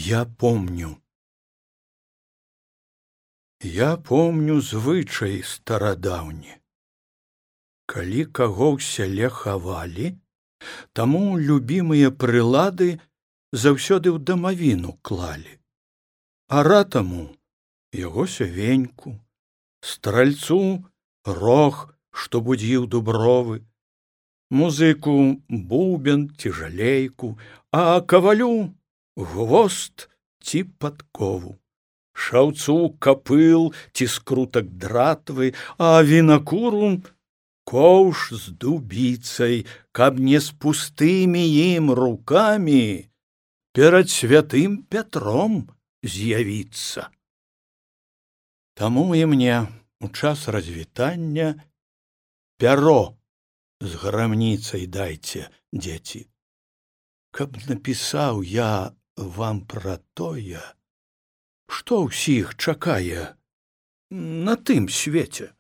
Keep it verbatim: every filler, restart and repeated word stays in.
Я помню. Я помню звычай старадаўні. Калі каго ў сяле хавалі, таму любімыя прылады заўсёды ў дамавіну клалі. А ратаму яго сявеньку, стральцу рог, што будзіў дубровы, музыку бубен ці жалейку, а кавалю гвост ці падкову, шаўцу капыл ці скрутак дратвы, а вінакуру коўш з дубіцай, каб не з пустымі ім рукамі перад святым Пятром з'явіцца. Таму і мне у час развітання пяро з грамніцай дайце, дзеці, каб напісаў я вам пра тое, што ўсіх чакае на тым свеце.